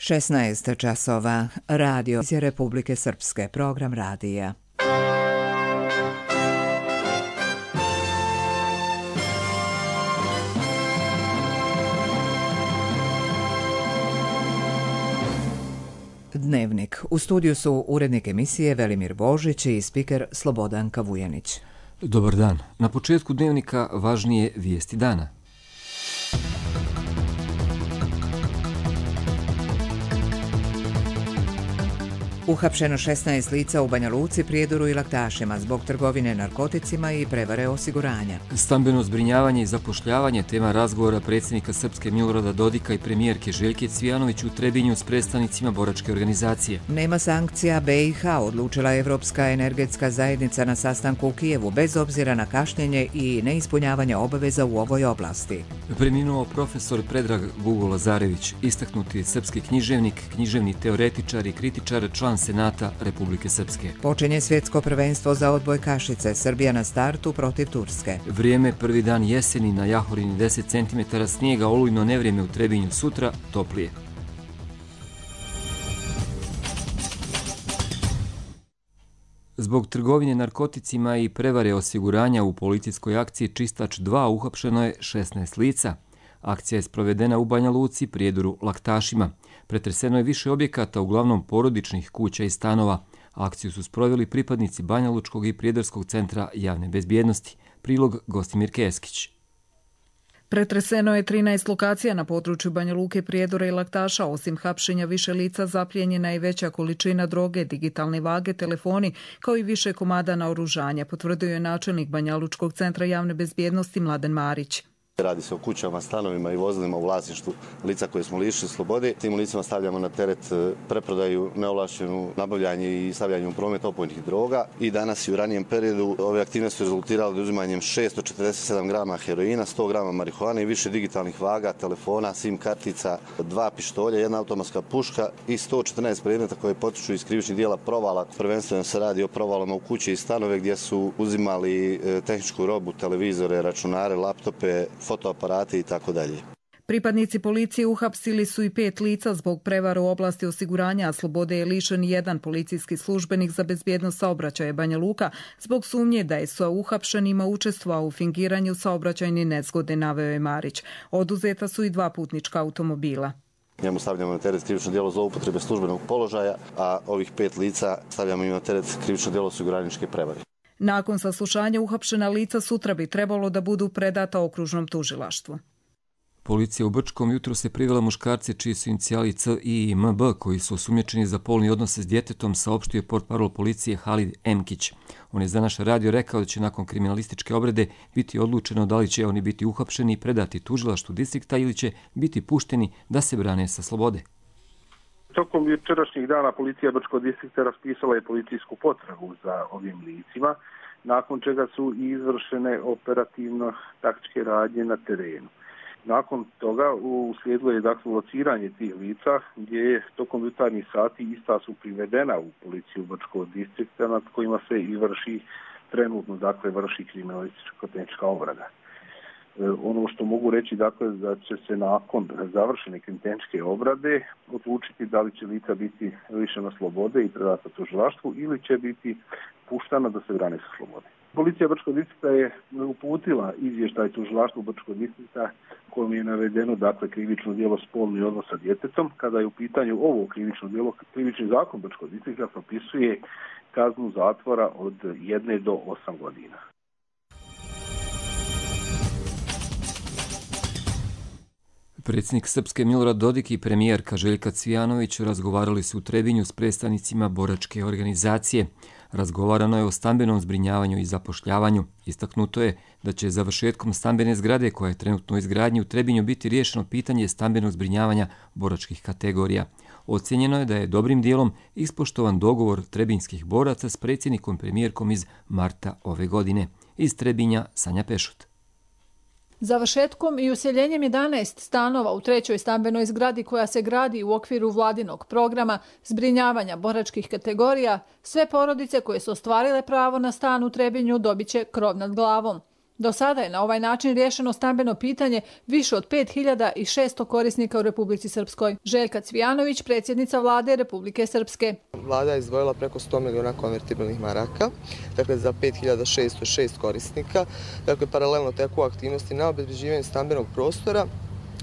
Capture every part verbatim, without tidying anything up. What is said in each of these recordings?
šesnaest časova. Radio iz Republike Srpske. Program radija. Dnevnik. U studiju su urednik emisije Velimir Božić i spiker Slobodanka Vujanić. Dobar dan. Na početku dnevnika važnije vijesti dana. Uhapšeno šesnaest lica u Banja Luci, Prijedoru i Laktašima zbog trgovine narkoticima i prevare osiguranja. Stambeno zbrinjavanje i zapošljavanje tema razgovora predsjednika Srpske Milorada Dodika i premijerke Željke Cvijanović u Trebinju s predstavnicima boračke organizacije. Nema sankcija B i H, odlučila Evropska energetska zajednica na sastanku u Kijevu, bez obzira na kašnjenje i neispunjavanje obaveza u ovoj oblasti. Preminuo profesor Predrag Gugo Lazarević, istaknuti srpski književnik, književni teoretičar i kritičar, član Senata Republike Srpske. Počinje svjetsko prvenstvo za odbojkašice, Srbija na startu protiv Turske. Vrijeme, prvi dan jeseni, na Jahorini deset centimetara snijega, olujno nevrijeme u Trebinju, sutra toplije. Zbog trgovine narkoticima i prevare osiguranja u policijskoj akciji Čistač dva uhapšeno je šesnaest lica. Akcija je sprovedena u Banja Luci, Prijedoru, Laktašima. Pretreseno je više objekata, uglavnom porodičnih kuća i stanova. Akciju su sproveli pripadnici Banja Lučkog i Prijedorskog centra javne bezbjednosti. Prilog Gostimir Keskić. Pretreseno je trinaest lokacija na području Banja Luke, Prijedora i Laktaša. Osim hapšenja više lica, zaplijenjena je veća količina droge, digitalne vage, telefoni, kao i više komada naoružanja, potvrdio je načelnik Banja Lučkog centra javne bezbjednosti Mladen Marić. Radi se o kućama, stanovima i vozilima u vlasništvu lica koje smo lišili slobode. Tim licima stavljamo na teret preprodaju, neovlaštenu nabavljanje i stavljanje u promet opojnih droga. I danas i u ranijem periodu ove aktivnosti su rezultirale uzimanjem šesto četrdeset sedam grama heroina, sto grama marihuane i više digitalnih vaga, telefona, sim kartica, dva pištolja, jedna automatska puška i sto četrnaest predmeta koje potiču iz krivičnih dijela provala. Prvenstveno se radi o provalama u kuće i stanove gdje su uzimali tehničku robu, televizore, računare, laptope, fotoaparate i tako dalje. Pripadnici policije uhapsili su i pet lica zbog prevara u oblasti osiguranja, a slobode je lišen jedan policijski službenik za bezbjednost saobraćaja Banja Luka zbog sumnje da je sa uhapšenima učestvovao u fingiranju saobraćajne nezgode, naveo je Marić. Oduzeta su i dva putnička automobila. Njemu stavljamo na teret krivično djelo zloupotrebe službenog položaja, a ovih pet lica stavljamo im na teret krivično djelo osiguraničke prevare. Nakon saslušanja uhapšena lica sutra bi trebalo da budu predata okružnom tužilaštvu. Policija u Brčkom jutro se privela muškarce čiji su inicijali C I i M B koji su osumnjičeni za polni odnose s djetetom, saopštio je portparol policije Halid Emkić. On je za naš radio rekao da će nakon kriminalističke obrade biti odlučeno da li će oni biti uhapšeni i predati tužilaštvu distrikta ili će biti pušteni da se brane sa slobode. Tokom jučerašnjih dana policija Brčkog distrikta raspisala je policijsku potragu za ovim licima, nakon čega su izvršene operativno taktičke radnje na terenu. Nakon toga uslijedilo je dakle lociranje tih lica, gdje je tokom jutarnjih sati ista su privedena u policiju Brčkog distrikta, nad kojima se i vrši trenutno dakle vrši kriminalističko-tehnička obrada. Ono što mogu reći dakle da će se nakon završene kriminalističke obrade odlučiti da li će lica biti lišena slobode i predata tužilaštvu ili će biti puštana da se brane sa slobode. Policija Brčkog distrikta je uputila izvještaj tužilaštvu Brčkog distrikta kojom je navedeno dakle krivično djelo spolni odnos sa djetetom. Kada je u pitanju ovo krivično djelo, krivični zakon Brčkog distrikta propisuje kaznu zatvora od jedne do osam godina. Predsjednik Srpske Milorad Dodik i premijerka Željka Cvijanović razgovarali su u Trebinju s predstavnicima boračke organizacije. Razgovarano je o stambenom zbrinjavanju i zapošljavanju. Istaknuto je da će završetkom stambene zgrade koja je trenutno u izgradnji u Trebinju biti riješeno pitanje stambenog zbrinjavanja boračkih kategorija. Ocjenjeno je da je dobrim dijelom ispoštovan dogovor trebinskih boraca s predsjednikom premijerkom iz marta ove godine. Iz Trebinja Sanja Pešut. Završetkom i useljenjem jedanaest stanova u trećoj stambenoj zgradi koja se gradi u okviru vladinog programa zbrinjavanja boračkih kategorija, sve porodice koje su ostvarile pravo na stan u Trebinju dobit će krov nad glavom. Do sada je na ovaj način riješeno stambeno pitanje više od pet hiljada šesto korisnika u Republici Srpskoj. Željka Cvijanović, predsjednica vlade Republike Srpske. Vlada je izdvojila preko sto miliona konvertibilnih maraka, dakle za pet hiljada šesto šest korisnika. Dakle, paralelno teku aktivnosti na obezbeđivanju stambenog prostora,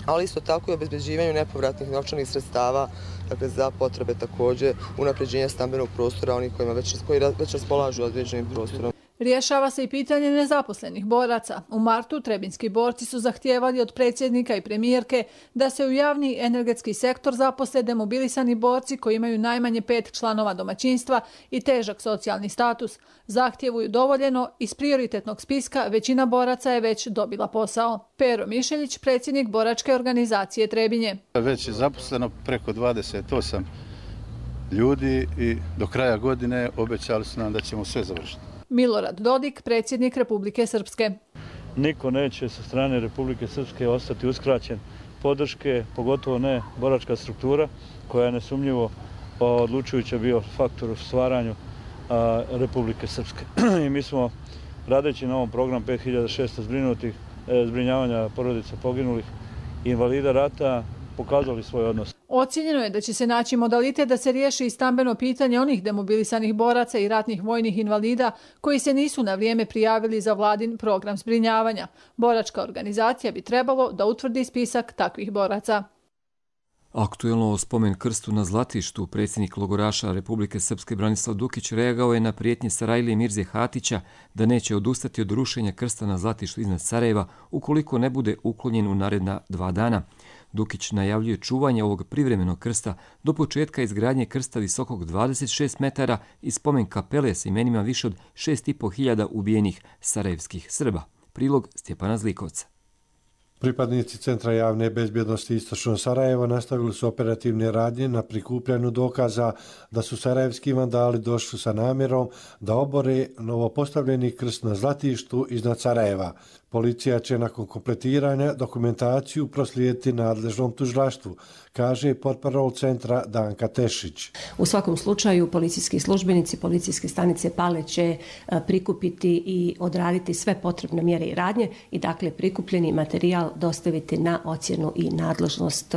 ali isto tako i obezbeđivanju nepovratnih novčanih sredstava, dakle za potrebe također unapređenja stambenog prostora onih kojima već, koji već raspolažu određenim prostorom. Rješava se i pitanje nezaposlenih boraca. U martu trebinski borci su zahtijevali od predsjednika i premijerke da se u javni energetski sektor zaposle demobilisani borci koji imaju najmanje pet članova domaćinstva i težak socijalni status. Zahtjevu je udovoljeno, iz prioritetnog spiska većina boraca je već dobila posao. Pero Mišeljić, predsjednik boračke organizacije Trebinje. Već je zaposleno preko dvadeset osam ljudi i do kraja godine obećali su nam da ćemo sve završiti. Milorad Dodik, predsjednik Republike Srpske. Niko neće sa strane Republike Srpske ostati uskraćen podrške, pogotovo ne boračka struktura koja je nesumnjivo odlučujuća bio faktor u stvaranju Republike Srpske. I mi smo, radeći na ovom programu pet hiljada šesto zbrinutih, zbrinjavanja porodica poginulih invalida rata, pokazali svoj odnos. Ocijenjeno je da će se naći modalitet da se riješi i stambeno pitanje onih demobilisanih boraca i ratnih vojnih invalida koji se nisu na vrijeme prijavili za vladin program zbrinjavanja. Boračka organizacija bi trebalo da utvrdi spisak takvih boraca. Aktuelno o spomen krstu na Zlatištu, predsjednik logoraša Republike Srpske Branislav Dukić reagao je na prijetnje Sarajlije Mirze Hatića da neće odustati od rušenja krsta na Zlatištu iznad Sarajeva ukoliko ne bude uklonjen u naredna dva dana. Dukić najavljuje čuvanje ovog privremenog krsta do početka izgradnje krsta visokog dvadeset šest metara i spomen kapele sa imenima više od šest i po hiljada ubijenih sarajevskih Srba. Prilog Stjepana Zlikovca. Pripadnici Centra javne bezbjednosti Istočno Sarajevo nastavili su operativne radnje na prikupljanju dokaza da su sarajevski vandali došli sa namjerom da obore novopostavljeni krst na Zlatištu iznad Sarajeva. Policija će nakon kompletiranja dokumentaciju proslijediti nadležnom tužilaštvu, kaže portparol centra Danka Tešić. U svakom slučaju policijski službenici policijske stanice Pale će prikupiti i odraditi sve potrebne mjere i radnje i dakle prikupljeni materijal dostaviti na ocjenu i nadležnost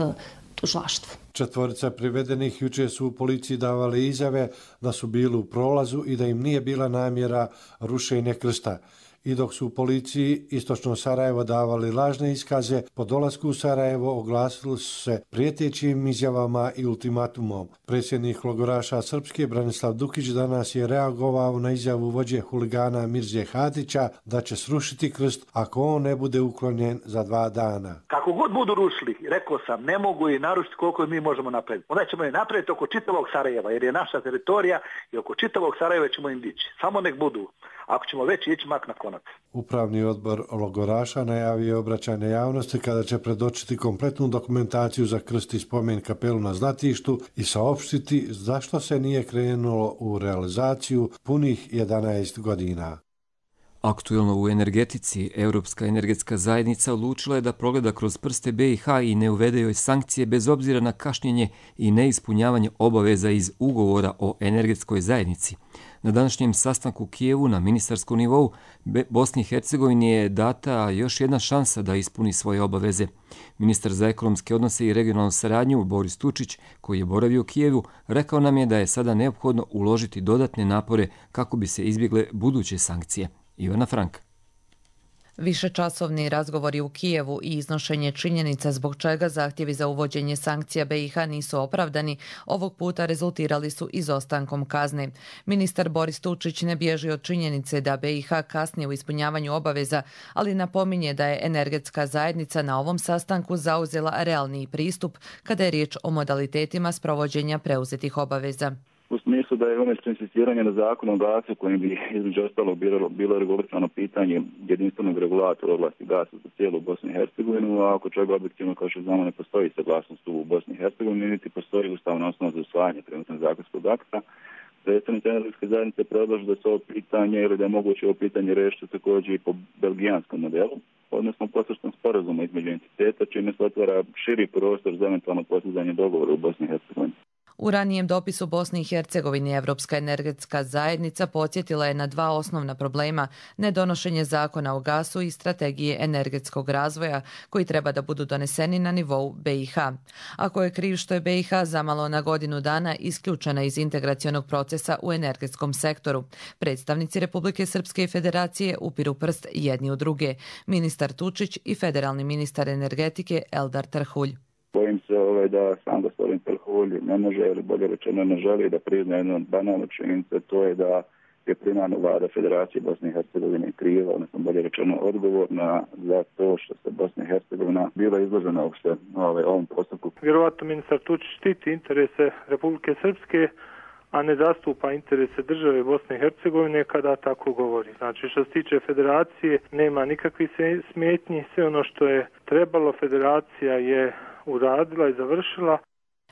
tužilaštvu. Četvorica privedenih jučer su u policiji davali izjave da su bili u prolazu i da im nije bila namjera rušenja krsta. I dok su u policiji Istočno Sarajevo davali lažne iskaze, po dolasku u Sarajevo oglasili su se prijetećim izjavama i ultimatumom. Predsjednik logoraša Srpske Branislav Dukić danas je reagovao na izjavu vođe huligana Mirze Hatića da će srušiti krst ako on ne bude uklonjen za dva dana. Kako god budu rušili, rekao sam, ne mogu i narušiti koliko mi možemo napraviti. Onda ćemo je napraviti oko čitavog Sarajeva, jer je naša teritorija i oko čitavog Sarajeva ćemo im dići. Samo nek budu. Ako ćemo već ići mak na konac. Upravni odbor logoraša najavio obraćanje javnosti kada će predočiti kompletnu dokumentaciju za krst i spomen kapelu na Zlatištu i saopštiti zašto se nije krenulo u realizaciju punih jedanaest godina. Aktuelno u energetici, Europska energetska zajednica odlučila je da progleda kroz prste be i ha i ne uvede joj sankcije bez obzira na kašnjenje i neispunjavanje obaveza iz ugovora o energetskoj zajednici. Na današnjem sastanku u Kijevu na ministarskom nivou Bosni i Hercegovini je data još jedna šansa da ispuni svoje obaveze. Ministar za ekonomske odnose i regionalnu saradnju Boris Tučić, koji je boravio u Kijevu, rekao nam je da je sada neophodno uložiti dodatne napore kako bi se izbjegle buduće sankcije. Ivana Frank. Višečasovni razgovori u Kijevu i iznošenje činjenica zbog čega zahtjevi za uvođenje sankcija be i ha nisu opravdani, ovog puta rezultirali su izostankom kazne. Ministar Boris Tučić ne bježi od činjenice da be i ha kasni u ispunjavanju obaveza, ali napominje da je energetska zajednica na ovom sastanku zauzela realniji pristup kada je riječ o modalitetima sprovođenja preuzetih obaveza. U smislu da je umjesto insistiranja na zakonu o gasu kojim bi između ostalog bilo, bilo regulirano pitanje jedinstvenog regulatora oblasti gasa za cijelu Bosnu i Hercegovinu, a oko čega objektivno kao što znamo ne postoji saglasnost u Bosni i Hercegovini, niti postoji ustavna osnova za usvajanje trenutnog zakonskog akta. Predstavnici energetske zajednice predlažu da se ovo pitanje ili da je moguće ovo pitanje rešiti također i po belgijanskom modelu, odnosno posredstvom sporazuma između entiteta, čime se otvara širi prostor za eventualno postizanje dogovora u Bosni i Hercegovini. U ranijem dopisu Bosni i Hercegovini Evropska energetska zajednica podsjetila je na dva osnovna problema: nedonošenje zakona o gasu i strategije energetskog razvoja koji treba da budu doneseni na nivou B i H. Ako je kriv što je B i H zamalo na godinu dana isključena iz integracionog procesa u energetskom sektoru, predstavnici Republike Srpske i Federacije upiru prst jedni u druge, ministar Tučić i federalni ministar energetike Eldar Trhulj. Bojim se ovaj, da sam gospodin Trhulj ne može, ili bolje rečeno ne želi da prizna jednu banalnu činjenicu, to je da je primarna vlada Federacije Bosne i Hercegovine kriva, odnosno bolje rečeno odgovorna za to što se Bosna i Hercegovina bila izložena uopšte ovaj, ovom postupku. Vjerovatno ministar Tučić štiti interese Republike Srpske, a ne zastupa interese države Bosne i Hercegovine kada tako govori. Znači, što se tiče federacije, nema nikakvih smetnji, sve ono što je trebalo, federacija je uradila i završila.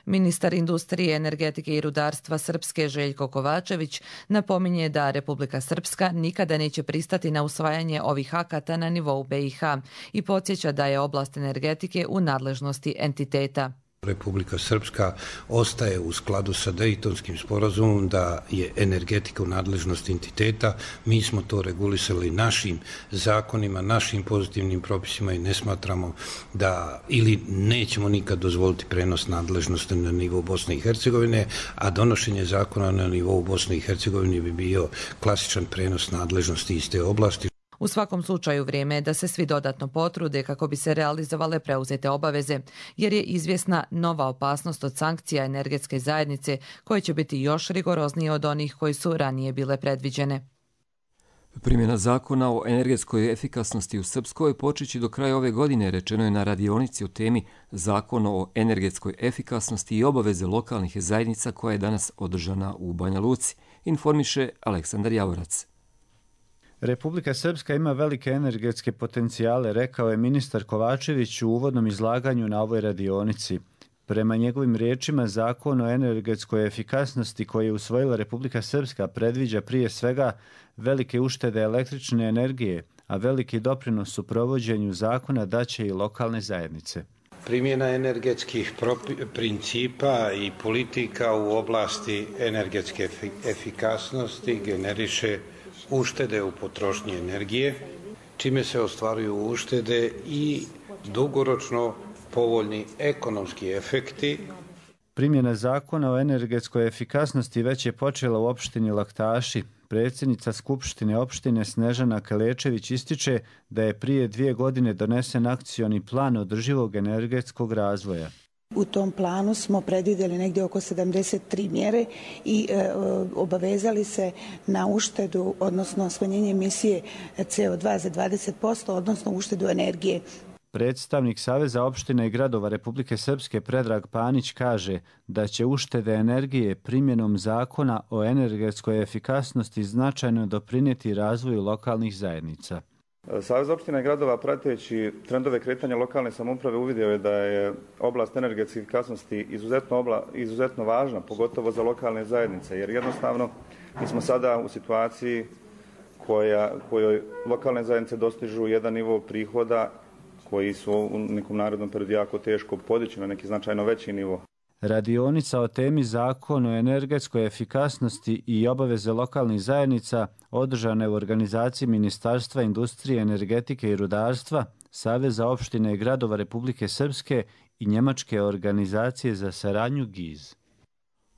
Ministar industrije, energetike i rudarstva Srpske Željko Kovačević napominje da Republika Srpska nikada neće pristati na usvajanje ovih akata na nivou B i H i podsjeća da je oblast energetike u nadležnosti entiteta. Republika Srpska ostaje u skladu sa Dejtonskim sporazumom da je energetika u nadležnosti entiteta. Mi smo to regulisali našim zakonima, našim pozitivnim propisima i ne smatramo da ili nećemo nikad dozvoliti prenos nadležnosti na nivou Bosne i Hercegovine, a donošenje zakona na nivou Bosne i Hercegovine bi bio klasičan prenos nadležnosti iz te oblasti. U svakom slučaju vrijeme je da se svi dodatno potrude kako bi se realizovale preuzete obaveze, jer je izvjesna nova opasnost od sankcija energetske zajednice koje će biti još rigoroznije od onih koji su ranije bile predviđene. Primjena zakona o energetskoj efikasnosti u Srpskoj počeći do kraja ove godine, rečeno je na radionici o temi Zakon o energetskoj efikasnosti i obaveze lokalnih zajednica koja je danas održana u Banja Luci, informiše Aleksandar Javorac. Republika Srpska ima velike energetske potencijale, rekao je ministar Kovačević u uvodnom izlaganju na ovoj radionici. Prema njegovim riječima, Zakon o energetskoj efikasnosti koji je usvojila Republika Srpska predviđa prije svega velike uštede električne energije, a veliki doprinos u provođenju zakona daće i lokalne zajednice. Primjena energetskih principa i politika u oblasti energetske efikasnosti generiše uštede u potrošnji energije, čime se ostvaruju uštede i dugoročno povoljni ekonomski efekti. Primjena zakona o energetskoj efikasnosti već je počela u opštini Laktaši. Predsjednica Skupštine opštine Snežana Kalečević ističe da je prije dvije godine donesen akcioni plan održivog energetskog razvoja. U tom planu smo predvidjeli negdje oko sedamdeset tri mjere i e, obavezali se na uštedu, odnosno smanjenje emisije C O dva za dvadeset posto, odnosno uštedu energije. Predstavnik Saveza opština i gradova Republike Srpske Predrag Panić kaže da će uštede energije primjenom zakona o energetskoj efikasnosti značajno doprinijeti razvoju lokalnih zajednica. Savez opština i gradova, prateći trendove kretanja lokalne samouprave, uvidio je da je oblast energetske efikasnosti izuzetno, obla, izuzetno važna, pogotovo za lokalne zajednice, jer jednostavno mi smo sada u situaciji koja, kojoj lokalne zajednice dostižu jedan nivo prihoda koji su u nekom narednom periodu jako teško podići na neki značajno veći nivo. Radionica o temi Zakon o energetskoj efikasnosti i obaveze lokalnih zajednica održana je u organizaciji Ministarstva industrije, energetike i rudarstva, Saveza opštine i gradova Republike Srpske i njemačke organizacije za saradnju G I Z.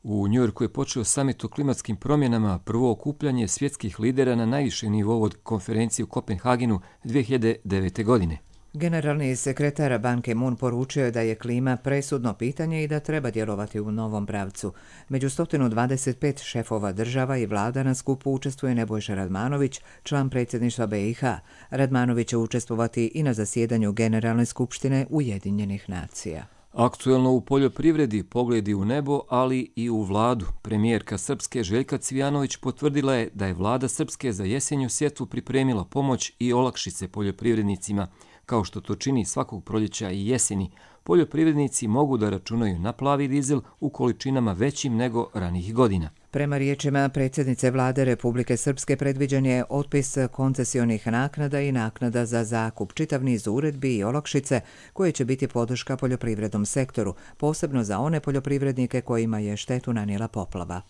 U Njujorku je počeo samit o klimatskim promjenama, prvo okupljanje svjetskih lidera na najvišem nivou od konferencije u Kopenhagenu dvije hiljade devete. godine. Generalni sekretar Ban Ki-moon poručio je da je klima presudno pitanje i da treba djelovati u novom pravcu. Među sto dvadeset pet šefova država i vlada na skupu učestvuje Nebojša Radmanović, član predsjedništva B i H. Radmanović će učestvovati i na zasjedanju Generalne skupštine Ujedinjenih nacija. Aktuelno u poljoprivredi, pogledi u nebo, ali i u vladu. Premijerka Srpske Željka Cvijanović potvrdila je da je vlada Srpske za jesenju sjetvu pripremila pomoć i olakšice poljoprivrednicima. kao što to čini svakog proljeća i jeseni, poljoprivrednici mogu da računaju na plavi dizel u količinama većim nego ranijih godina. Prema riječima predsjednice vlade Republike Srpske predviđen je otpis koncesionih naknada i naknada za zakup, čitav niz uredbi i olakšice koje će biti podrška poljoprivrednom sektoru, posebno za one poljoprivrednike kojima je štetu nanijela poplava.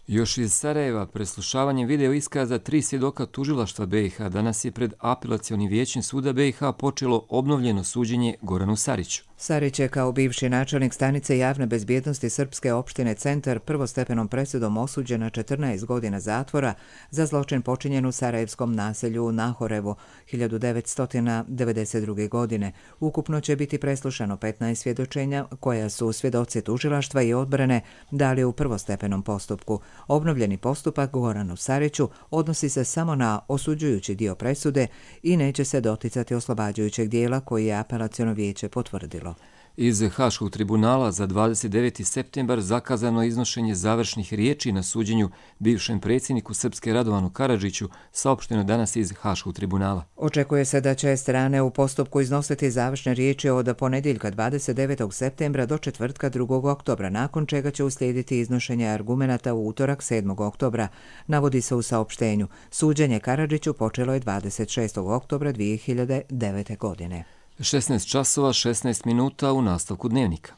Još iz Sarajeva, preslušavanjem video iskaza tri svjedoka tužilaštva B i H danas je pred apelacionim vijećem suda B i H počelo obnovljeno suđenje Goranu Sariću. Sarić je kao bivši načelnik stanice javne bezbjednosti Srpske opštine Centar prvostepenom presudom osuđen na četrnaest godina zatvora za zločin počinjen u sarajevskom naselju Nahorevo hiljadu devetsto devedeset druge. godine. Ukupno će biti preslušano petnaest svjedočenja koja su svjedoci tužilaštva i odbrane dali u prvostepenom postupku. Obnovljeni postupak Goranu Sariću odnosi se samo na osuđujući dio presude i neće se doticati oslobađajućeg dijela koji je apelaciono vijeće potvrdilo. Iz Haškog tribunala za dvadeset deveti septembar zakazano iznošenje završnih riječi na suđenju bivšem predsjedniku Srpske Radovanu Karadžiću, saopšteno danas iz Haškog tribunala. Očekuje se da će strane u postupku iznositi završne riječi od ponedjeljka dvadeset devetog septembra do četvrtka drugog oktobra, nakon čega će uslijediti iznošenje argumenata u utorak sedmog oktobra, navodi se u saopštenju. Suđenje Karadžiću počelo je dvadeset šestog oktobra dvije hiljade devete. godine. šesnaest časova šesnaest minuta u nastavku dnevnika.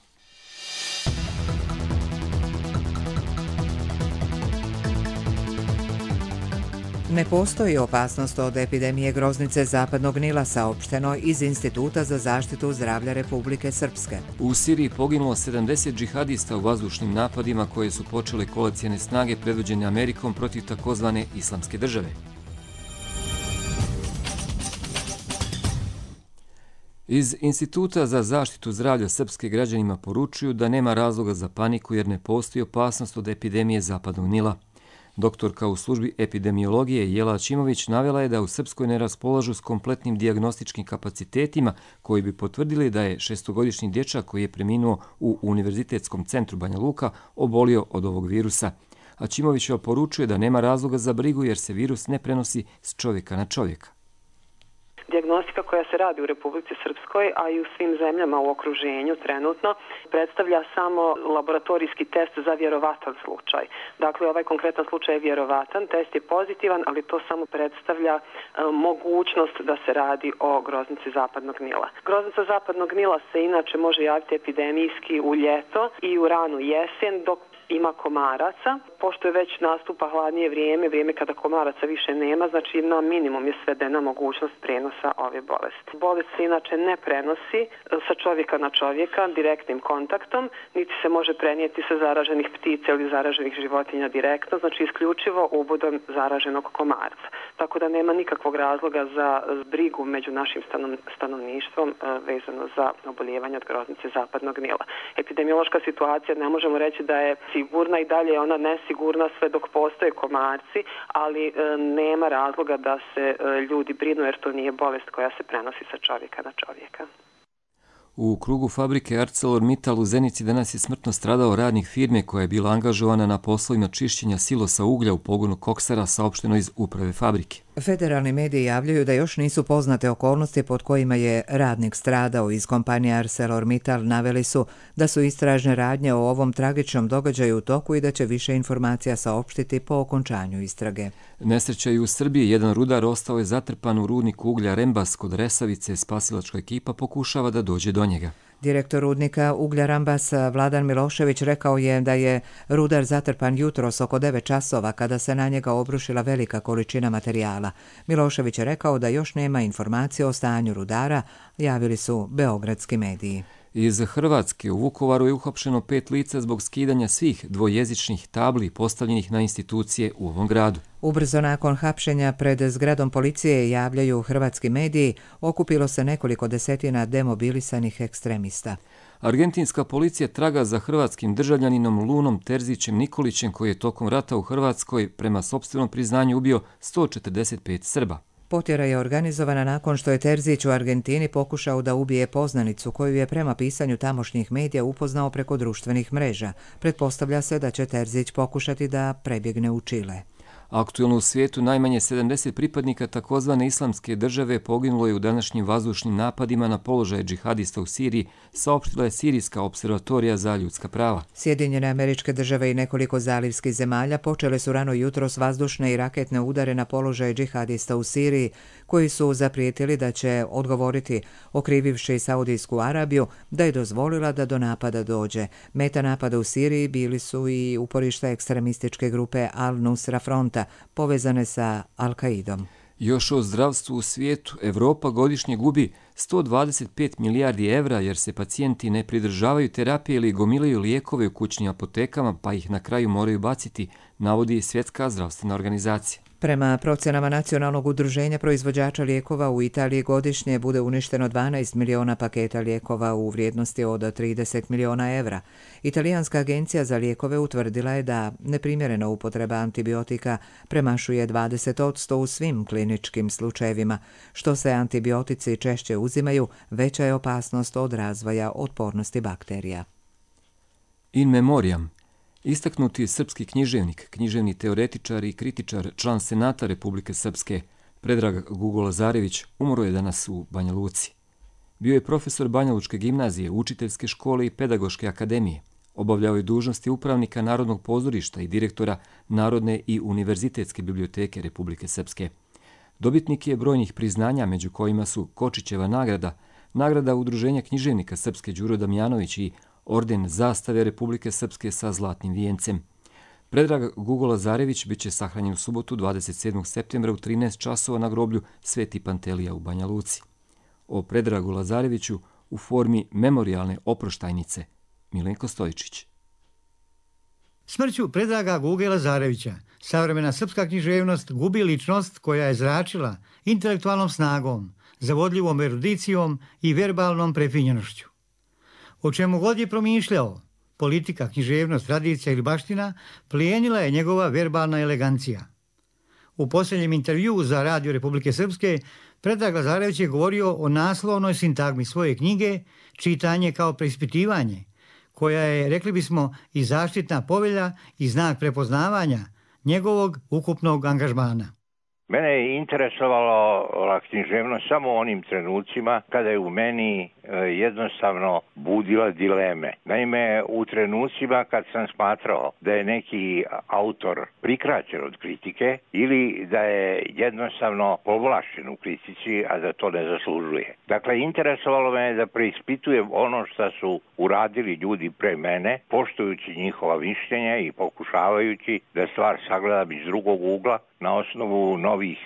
Ne postoji opasnost od epidemije groznice zapadnog Nila, saopšteno iz Instituta za zaštitu zdravlja Republike Srpske. U Siriji poginulo sedamdeset džihadista u vazdušnim napadima koje su počele koalicijne snage predvođene Amerikom protiv takozvane Islamske države. Iz Instituta za zaštitu zdravlja Srpske građanima poručuju da nema razloga za paniku jer ne postoji opasnost od epidemije zapadnog Nila. Doktorka u službi epidemiologije Jela Aćimović navela je da u Srpskoj ne raspolažu s kompletnim dijagnostičkim kapacitetima koji bi potvrdili da je šestogodišnji dječak koji je preminuo u Univerzitetskom centru Banja Luka obolio od ovog virusa. Aćimović poručuje da nema razloga za brigu jer se virus ne prenosi s čovjeka na čovjeka. Dijagnostika koja se radi u Republici Srpskoj, a i u svim zemljama u okruženju trenutno, predstavlja samo laboratorijski test za vjerovatan slučaj. Dakle, ovaj konkretan slučaj je vjerovatan, test je pozitivan, ali to samo predstavlja e, mogućnost da se radi o groznici zapadnog Nila. Groznica zapadnog Nila se inače može javiti epidemijski u ljeto i u ranu jesen, dok ima komaraca. Pošto je već nastupa hladnije vrijeme, vrijeme kada komaraca više nema, znači na minimum je svedena mogućnost prenosa ove bolesti. Bolest se inače ne prenosi sa čovjeka na čovjeka direktnim kontaktom, niti se može prenijeti sa zaraženih ptica ili zaraženih životinja direktno, znači isključivo ubodom zaraženog komarca. Tako da nema nikakvog razloga za brigu među našim stanovništvom vezano za oboljevanje od groznice zapadnog Nila. Epidemiološka situacija ne možemo reći da je sigurna i dalje je ona nesigurna sve dok postoje komarci, ali e, nema razloga da se e, ljudi brinu jer to nije bolest koja se prenosi sa čovjeka na čovjeka. U krugu fabrike ArcelorMittal u Zenici danas je smrtno stradao radnik firme koja je bila angažovana na poslovima čišćenja silosa uglja u pogonu koksara, saopšteno iz uprave fabrike. Federalni mediji javljaju da još nisu poznate okolnosti pod kojima je radnik stradao. Iz kompanije ArcelorMittal naveli su da su istražne radnje o ovom tragičnom događaju u toku i da će više informacija saopštiti po okončanju istrage. Nesreća i u Srbiji. Jedan rudar ostao je zatrpan u rudniku uglja Rembas kod Resavice. Spasilačka ekipa pokušava da dođe do njega. Direktor rudnika uglja Rambas Vladan Milošević rekao je da je rudar zatrpan jutros oko devet časova kada se na njega obrušila velika količina materijala. Milošević je rekao da još nema informacije o stanju rudara, javili su beogradski mediji. Iz Hrvatske u Vukovaru je uhapšeno pet lica zbog skidanja svih dvojezičnih tabli postavljenih na institucije u ovom gradu. Ubrzo nakon hapšenja pred zgradom policije, javljaju hrvatski mediji, okupilo se nekoliko desetina demobilisanih ekstremista. Argentinska policija traga za hrvatskim državljaninom Lunom Terzićem Nikolićem koji je tokom rata u Hrvatskoj prema sopstvenom priznanju ubio sto četrdeset pet Srba. Potjera je organizovana nakon što je Terzić u Argentini pokušao da ubije poznanicu koju je prema pisanju tamošnjih medija upoznao preko društvenih mreža. Pretpostavlja se da će Terzić pokušati da prebjegne u Čile. Aktuelno u svijetu najmanje sedamdeset pripadnika takozvane islamske države poginulo je u današnjim vazdušnim napadima na položaje džihadista u Siriji, saopštila je Sirijska observatorija za ljudska prava. Sjedinjene Američke Države i nekoliko zalivskih zemalja počele su rano jutros vazdušne i raketne udare na položaje džihadista u Siriji, koji su zaprijetili da će odgovoriti, okrivivši Saudijsku Arabiju da je dozvolila da do napada dođe. Meta napada u Siriji bili su i uporišta ekstremističke grupe Al-Nusra Fronta, povezane sa Al-Qaidom. Još o zdravstvu u svijetu, Evropa godišnje gubi sto dvadeset pet milijardi evra jer se pacijenti ne pridržavaju terapije ili gomilaju lijekove u kućnim apotekama pa ih na kraju moraju baciti, navodi Svjetska zdravstvena organizacija. Prema procjenama Nacionalnog udruženja proizvođača lijekova u Italiji godišnje bude uništeno dvanaest miliona paketa lijekova u vrijednosti od trideset miliona evra. Italijanska agencija za lijekove utvrdila je da neprimjerena upotreba antibiotika premašuje dvadeset posto u svim kliničkim slučajevima. Što se antibiotici češće uzimaju, veća je opasnost od razvoja otpornosti bakterija. In memoriam. Istaknuti srpski književnik, književni teoretičar i kritičar, član Senata Republike Srpske, Predrag Gugo Lazarević, umro je danas u Banja Luci. Bio je profesor Banja Lučke gimnazije, učiteljske škole i pedagoške akademije. Obavljao je dužnosti upravnika Narodnog pozorišta i direktora Narodne i univerzitetske biblioteke Republike Srpske. Dobitnik je brojnih priznanja, među kojima su Kočićeva nagrada, nagrada Udruženja književnika Srpske Đuro Damjanović i Orden zastave Republike Srpske sa zlatnim vijencem. Predrag Gugo Lazarević bit će sahranjen u subotu dvadeset sedmog septembra u trinaest časova na groblju Sveti Pantelija u Banja Luci. O Predragu Lazareviću u formi memorijalne oproštajnice Milenko Stojičić. Smrću Predraga Guge Lazarevića savremena srpska književnost gubi ličnost koja je zračila intelektualnom snagom, zavodljivom erudicijom i verbalnom prefinjenošću. O čemu god je promišljao, politika, književnost, tradicija ili baština, plijenila je njegova verbalna elegancija. U posljednjem intervjuu za Radio Republike Srpske, Predrag Lazarević je govorio o naslovnoj sintagmi svoje knjige Čitanje kao preispitivanje, koja je, rekli bismo, i zaštitna povelja i znak prepoznavanja njegovog ukupnog angažmana. Mene je interesovala književnost samo u onim trenucima kada je u meni jednostavno budila dileme. Naime, u trenucima kad sam smatrao da je neki autor prikraćen od kritike ili da je jednostavno povlašćen u kritici, a da to ne zaslužuje. Dakle, interesovalo me da preispitujem ono što su uradili ljudi pre mene, poštujući njihova mišljenja i pokušavajući da stvar sagledam iz drugog ugla, na osnovu novih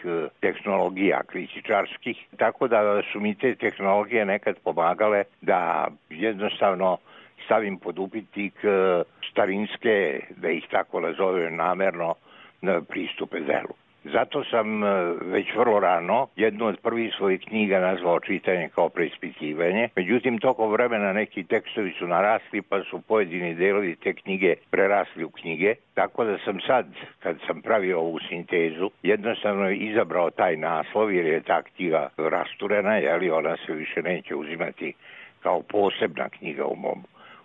tehnologija kritičarskih, tako da su mi te tehnologije nekad pomagale da jednostavno stavim pod upitnik starinske, da ih tako nazovem namerno, pristupe delu. Zato sam već vrlo rano jednu od prvih svojih knjiga nazvao Čitanje kao preispitivanje. Međutim, tokom vremena neki tekstovi su narasli pa su pojedini delovi te knjige prerasli u knjige. Tako da sam sad, kad sam pravio ovu sintezu, jednostavno izabrao taj naslov jer je ta knjiga rasturena, jer ona se više neće uzimati kao posebna knjiga u mom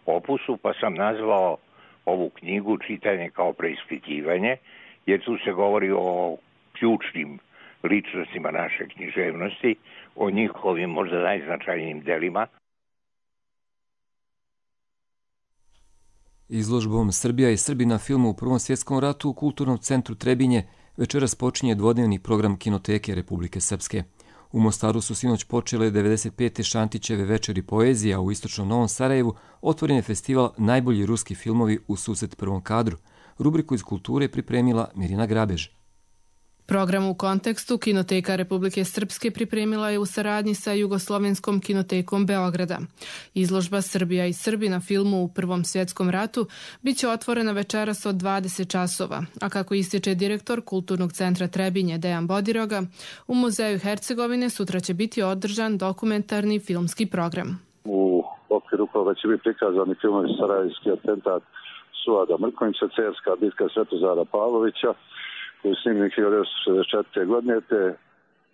opusu, pa sam nazvao ovu knjigu Čitanje kao preispitivanje, jer tu se govori o ključnim ličnostima naše književnosti, o njihovim možda najznačajnijim delima. Izložbom Srbija i Srbi na filmu u Prvom svjetskom ratu u Kulturnom centru Trebinje večeras počinje dvodnevni program Kinoteke Republike Srpske. U Mostaru su sinoć počele devedeset pete Šantićeve večeri poezija, u istočnom Novom Sarajevu otvoren je festival Najbolji ruski filmovi u susret prvom kadru. Rubriku iz kulture pripremila Mirina Grabež. Program u kontekstu Kinoteka Republike Srpske pripremila je u saradnji sa Jugoslovenskom kinotekom Beograda. Izložba Srbija i Srbi na filmu u Prvom svjetskom ratu biće otvorena večeras od dvadeset časova, a kako ističe direktor Kulturnog centra Trebinje Dejan Bodiroga, u Muzeju Hercegovine sutra će biti održan dokumentarni filmski program. U okviru koga će biti prikazani filmovi Sarajevski atentat Suada Mrkonjića, Cerska bitka Svetozara Pavlovića, koji je snimljen hiljadu devetsto šezdeset četvrte. godine, te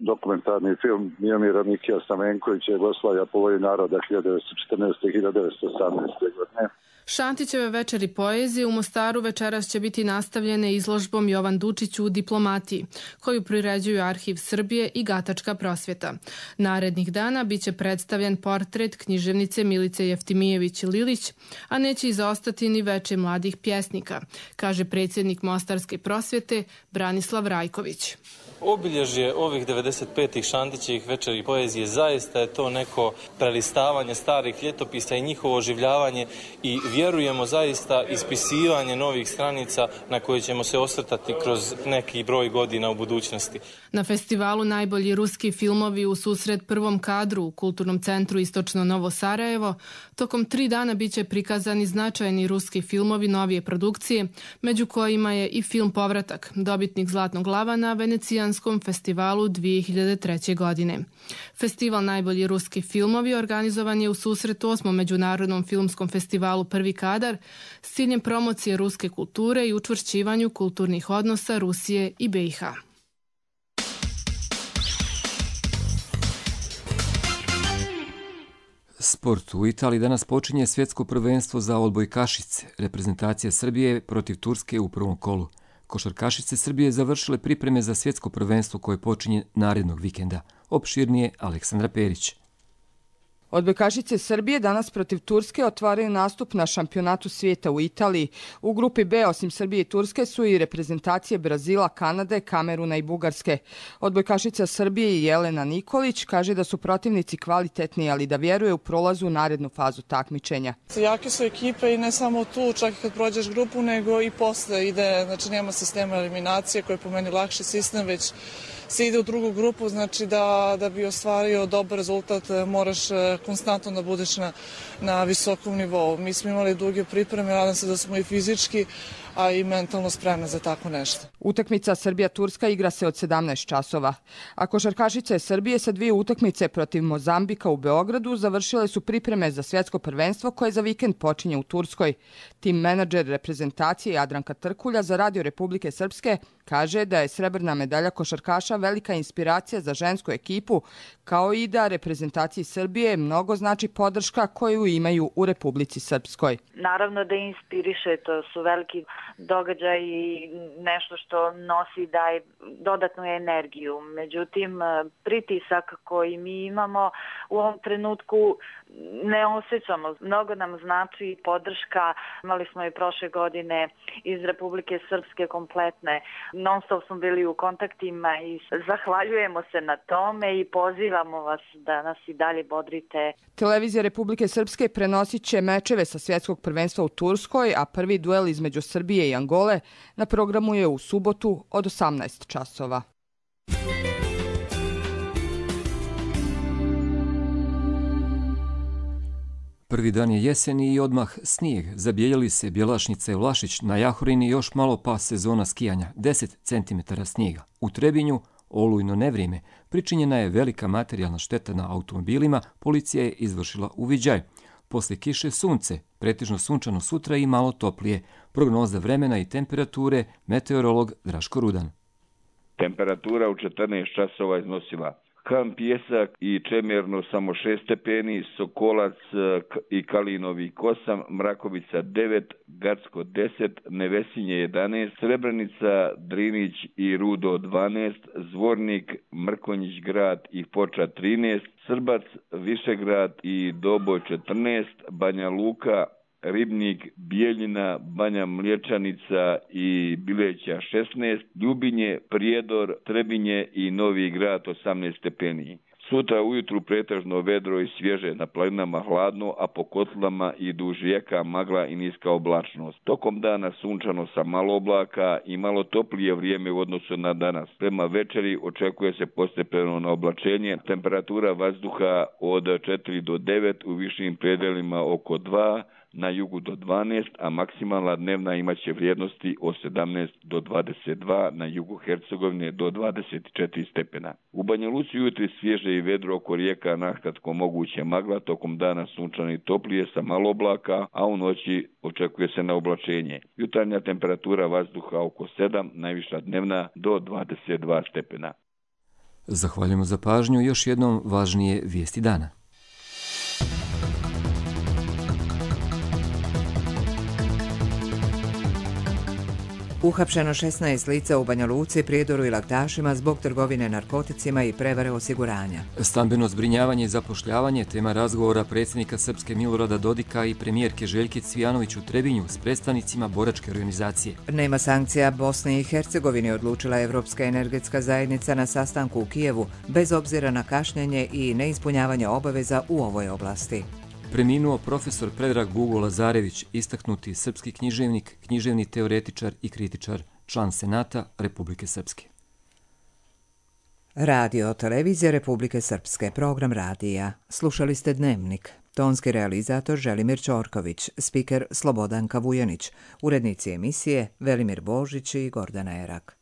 dokumentarni film Miomira Mikija Stamenkovića Jugoslavija po volji naroda hiljadu devetsto četrnaeste do hiljadu devetsto osamnaeste. godine. Šantićeve večeri poezije u Mostaru večeras će biti nastavljene izložbom Jovan Dučić u diplomatiji, koju priređuju Arhiv Srbije i Gatačka prosvjeta. Narednih dana biće predstavljen portret književnice Milice Jeftimijević-Lilić, a neće izostati ni veče mladih pjesnika, kaže predsjednik Mostarske prosvjete Branislav Rajković. Obilježje ovih devedeset petih Šantićevih večeri poezije zaista je to neko prelistavanje starih ljetopisa i njihovo oživljavanje i vjerujemo zaista ispisivanje novih stranica na koje ćemo se osvrtati kroz neki broj godina u budućnosti. Na festivalu Najbolji ruski filmovi u susret prvom kadru u Kulturnom centru Istočno Novo Sarajevo tokom tri dana biće prikazani značajni ruski filmovi novije produkcije, među kojima je i film Povratak, dobitnik Zlatnog lava na Venecijanskom festivalu dvije hiljade treće. godine. Festival Najbolji ruski filmovi organizovan je u susret osmom Međunarodnom filmskom festivalu Prvi kadar s ciljem promocije ruske kulture i učvršćivanju kulturnih odnosa Rusije i B i H. Sport. U Italiji danas počinje svjetsko prvenstvo za odbojkašice. Reprezentacija Srbije protiv Turske u prvom kolu. Košarkašice Srbije završile pripreme za svjetsko prvenstvo koje počinje narednog vikenda. Opširnije Aleksandra Perić. Odbojkašice Srbije danas protiv Turske otvaraju nastup na šampionatu svijeta u Italiji. U grupi B osim Srbije i Turske su i reprezentacije Brazila, Kanade, Kameruna i Bugarske. Odbojkašica Srbije Jelena Nikolić kaže da su protivnici kvalitetni, ali da vjeruje u prolazu u narednu fazu takmičenja. Jake su ekipe i ne samo tu, čak i kad prođeš grupu, nego i posle ide, znači nema sistema eliminacije koji je po meni lakši sistem, već se ide u drugu grupu, znači da, da bi ostvario dobar rezultat moraš konstantno da budeš na, na visokom nivou. Mi smo imali duge pripreme, nadam se da smo i fizički, a i mentalno spremne za tako nešto. Utakmica Srbija-Turska igra se od sedamnaest časova. A košarkašice Srbije sa dvije utakmice protiv Mozambika u Beogradu završile su pripreme za svjetsko prvenstvo koje za vikend počinje u Turskoj. Tim menadžer reprezentacije Jadranka Trkulja za Radio Republike Srpske kaže da je srebrna medalja košarkaša velika inspiracija za žensku ekipu, kao i da reprezentaciji Srbije mnogo znači podrška koju imaju u Republici Srpskoj. Naravno da inspiriše, to su veliki događaj i nešto što nosi daje dodatnu energiju. Međutim, pritisak koji mi imamo u ovom trenutku ne osjećamo. Mnogo nam znači podrška. Imali smo i prošle godine iz Republike Srpske kompletne. Non stop smo bili u kontaktima i zahvaljujemo se na tome i pozivamo vas da nas i dalje bodrite. Televizija Republike Srpske prenosit će mečeve sa svjetskog prvenstva u Turskoj, a prvi duel između Srbije i Angole na programu je u subotu od osamnaest časova. Prvi dan je jeseni i odmah snijeg. Zabijeljali se Bjelašnica i Vlašić, na Jahorini još malo pa sezona skijanja, deset centimetara snijega. U Trebinju olujno nevrijeme, pričinjena je velika materijalna šteta na automobilima, policija je izvršila uviđaj. Poslije kiše sunce, pretežno sunčano sutra i malo toplije. Prognoza vremena i temperature, meteorolog Draško Rudan. Temperatura u četrnaest časova iznosila Kam Pjesak i Čemerno samo šest stepeni, Sokolac i Kalinovi osam, Mrakovica devet, Gacko deset, Nevesinje jedanaest, Srebrenica, Drinić i Rudo dvanaest, Zvornik, Mrkonjić grad i Foča trinaest, Srbac, Višegrad i Doboj četrnaest, Banja Luka, Ribnik, Bijeljina, Banja Mliječanica i Bileća šesnaest, Ljubinje, Prijedor, Trebinje i Novi Grad osamnaest stepeni. Sutra ujutru pretežno vedro i svježe, na planinama hladno, a po kotlama i duž rijeka magla i niska oblačnost. Tokom dana sunčano sa malo oblaka i malo toplije vrijeme u odnosu na danas. Prema večeri očekuje se postepeno na oblačenje, temperatura vazduha od četiri do devet, u višim predelima oko dva, na jugu do dvanaest, a maksimalna dnevna imaće vrijednosti od sedamnaest do dvadeset dva, na jugu Hercegovine do dvadeset četiri stepena. U Banja Luci jutri svježe i vedro, oko rijeka nakratko moguće magla, tokom dana sunčano i toplije sa malo oblaka, a u noći očekuje se na oblačenje. Jutarnja temperatura vazduha oko sedam, najviša dnevna do dvadeset dva stepena. Zahvaljujemo za pažnju. Još jednom važnije vijesti dana. Uhapšeno šesnaest lica u Banja Luci, Prijedoru i Laktašima zbog trgovine narkoticima i prevare osiguranja. Stambeno zbrinjavanje i zapošljavanje, tema razgovora predsjednika Srpske Milorada Dodika i premijerke Željke Cvijanović u Trebinju s predstavnicima boračke organizacije. Nema sankcija Bosni i Hercegovini, odlučila Evropska energetska zajednica na sastanku u Kijevu, bez obzira na kašnjenje i neispunjavanje obaveza u ovoj oblasti. Preminuo profesor Predrag Gugo Lazarević, istaknuti srpski književnik, književni teoretičar i kritičar, član Senata Republike Srpske. Radio televizija Republike Srpske, program radija. Slušali ste Dnevnik. Tonski realizator Želimir Ćorković, spiker Slobodanka Vujanić, urednici emisije Velimir Božić i Gordana Erak.